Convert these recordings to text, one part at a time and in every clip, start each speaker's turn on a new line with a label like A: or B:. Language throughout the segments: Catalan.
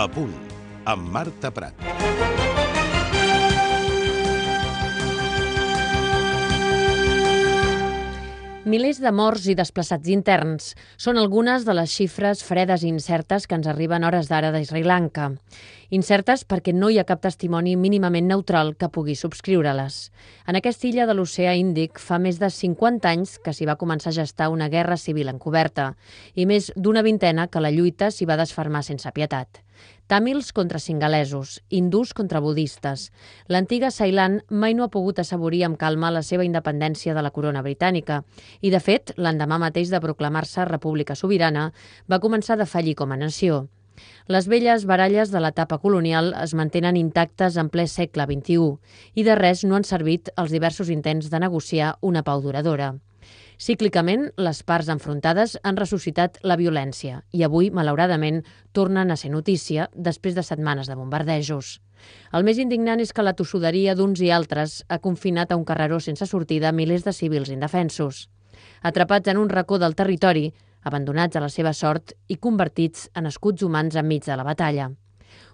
A: La Punt, amb Marta Prat.
B: Milers de morts i desplaçats interns són algunes de les xifres fredes i incertes que ens arriben a hores d'ara de Sri Lanka. Incertes perquè no hi ha cap testimoni mínimament neutral que pugui subscriure-les. En aquesta illa de l'oceà Índic fa més de 50 anys que s'hi va començar a gestar una guerra civil encoberta i més d'una vintena que la lluita s'hi va desfermar sense pietat. Tàmils contra singalesos, hindús contra budistes. L'antiga Ceilan mai no ha pogut assaborir amb calma la seva independència de la corona britànica i, de fet, l'endemà mateix de proclamar-se república sobirana, va començar a defallir com a nació. Les velles baralles de l'etapa colonial es mantenen intactes en ple segle XXI i de res no han servit els diversos intents de negociar una pau duradora. Cíclicament, les parts enfrontades han ressuscitat la violència i avui, malauradament, tornen a ser notícia després de setmanes de bombardejos. El més indignant és que la tossuderia d'uns i altres ha confinat a un carreró sense sortida milers de civils indefensos, atrapats en un racó del territori, abandonats a la seva sort i convertits en escuts humans enmig de la batalla.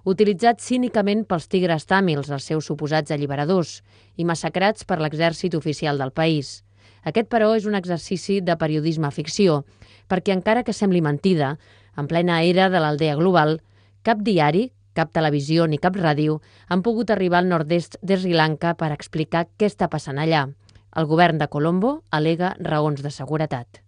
B: Utilitzats cínicament pels tigres tàmils, els seus suposats alliberadors, i massacrats per l'exèrcit oficial del país. Aquest, però, és un exercici de periodisme ficció, perquè encara que sembli mentida, en plena era de l'aldea global, cap diari, cap televisió ni cap ràdio han pogut arribar al nord-est de Sri Lanka per explicar què està passant allà. El govern de Colombo al·lega raons de seguretat.